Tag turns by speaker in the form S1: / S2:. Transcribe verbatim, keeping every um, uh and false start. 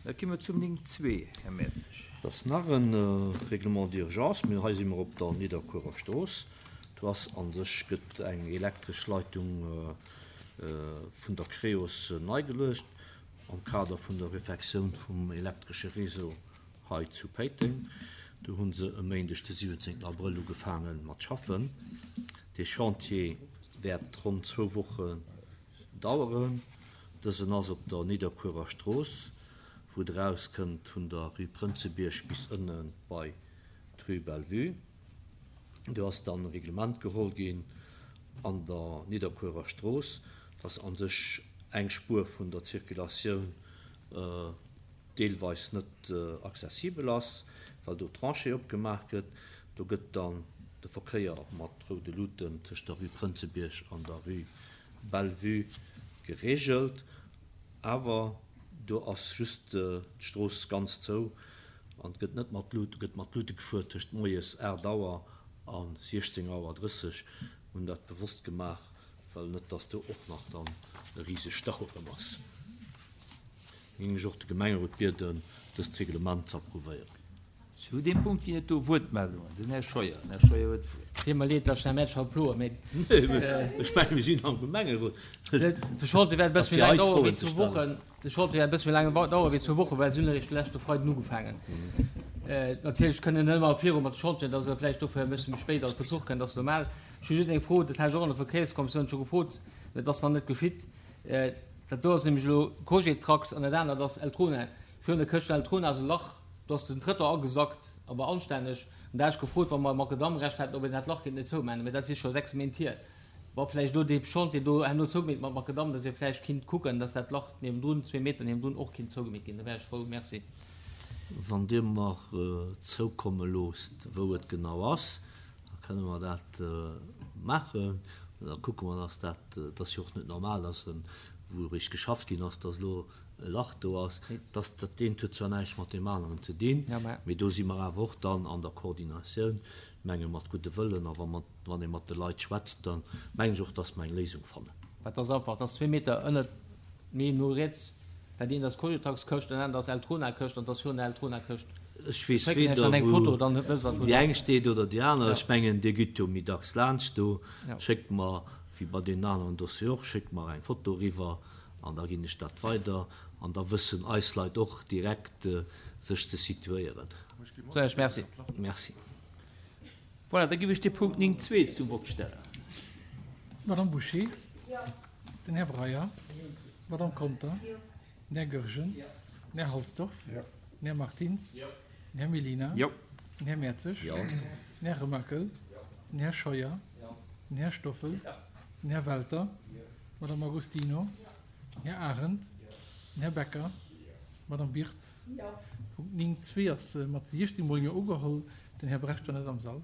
S1: Da gi mer zum néng zwee, Här Mertzig.
S2: Dat ass nach e Règlement d'urgence, mee hei si mer op der Nidderkuerer Strooss. Do ass a sech gëtt eng elektresch Leitung vun der Creos nei geluecht am Kader vun der Refektioun vum elektresche Réseau hei zu Péiteng. Do hu se e Méindeg de siwwenzéngten Abrëll ugefaange mat schaffen. Dee Chantier wäert ronn zwou Wochen daueren. Dësen ass op der Nidderkuerer Strooss, wou et erauskënnt vun der Rue Prënzebierg bis ënne bei d'Rue Bellevue. Do ass dann e Reglement geholl ginn an der Nidderkuerer Strooss, dass a sech eng Spuer vun der Zirkulatioun deelweis net accessibel ass, well do Tranchée opgemaach gëtt. Do gëtt dann de Verkéier mat roude Luuten tëscht der Rue Prënzebierg an der Rue Bellevue gereegelt. Awer do ass just d'Strooss ganz zou an et gëtt net mat Luuten, gëtt mat Luute gefuer tëscht moies aacht Auer a siechzéng Auer drësseg. Mir hunn dat bewosst gemaach, well net dass do och nach dann e riseg Stau erëm ass. Géing ech och de Gemengerot bieden, dëst Reglement ze approuvéieren.
S1: Zu deem Punkt ginn et do Wuertmeldungen. Den Här Scheuer. Den Här Scheuer huet d'Wuert.
S3: Deet mer leed, dass ech Här Mertsch haut ploen, mee.
S2: Ech mengen, mir sinn am Gemengerot.
S3: De Chantier wäert e bësse méi laang dauere wéi zwou Wochen. De Chantier wäert e bësse méi laang dauere wéi zwou Wochen, well se hunn eréischt de leschte Freiden ugefaangen. Natierlech kënnen net ëmmer viru mat de Chantieren, dass e vläicht dofir e bësse méi spéit als Bezuch kënnt, ass normal. Ech hu just eng Fro, dat hat ech och an der Verkéierskommissioun scho gefrot, mä et ass nach net geschitt. Dat do ass nämlech elo Cogetrax an dat anert ass Eltrona. Virun der Këscht Eltrona ass e Lach, do ass den Trëttoir agesackt, awer anstänneg. An da hat ech gefrot, wa mer Makadammrecht hätten, ob een dat Lach kéint net zoumaachen. Mä dat si scho sechs Méint hier. Wa vläicht elo dee Chantier do herno zougemeet mat Makadamm, dass ee vläicht kinnt kucken, dass dat Lach niewendrun, zwee Meter niewendrun, och kinnt zougemeet ginn, da wär ech frou. Merci.
S2: Wann Dir mer zoukomme loosst, wou et genau ass, da kënne mer dat maachen. Da kucke mer, dass dat, et ass jo och net normal, dass wou eréischt geschafft ginn ass, dass elo e Lach do ass. Dass dat eent huet zwar näischt mat deem aneren ze dinn, mee do si mer awer och dann an der Koordinatioun, menge mat gudde Wëllen. A wa mer, wann ee mat de Leit schwätzt, da mengen ech och, dass mer eng Léisung fannen.
S3: Dat ass einfach, dat ass zwee Meter ënnert méi no riets. Dat eent ass Cogetrax-Këscht, dat anert ass Eltrona-Këscht an dat ass virun der Eltrona-Këscht.
S2: Ech weess weder wou déi eng steet oder déi aner. Ech mengen, Dir gitt jo méi dacks laanscht do. Schéckt mer, wéi bei deenen aneren Dossier och, schéckt mer eng Foto eriwwer an da ginn ech dat weider an da wëssen eis Leit och direkt sech ze situéieren.
S3: Merci.
S2: Merci.
S1: Voilà, da giff ech de Punkt néng zwee zum Vott stellen.
S4: D'Madame Bouché? Den Här Breyer? D'Madame Conter? Den Här Goergen? Den Här Halsdorf? Den Här Martins? Den Här Mellina? Den Här Mertzig? Den Här Remakel? Den Här Scheuer? Den Här Stoffel? Den Här Welter? D'Madame Agostino? Den Här Arendt? Den Här Becker? D'Madame Birtz? Punkt néng zwee ass mat siechzéng mol Jo ugeholl. Den Här Brecht war net am Sall.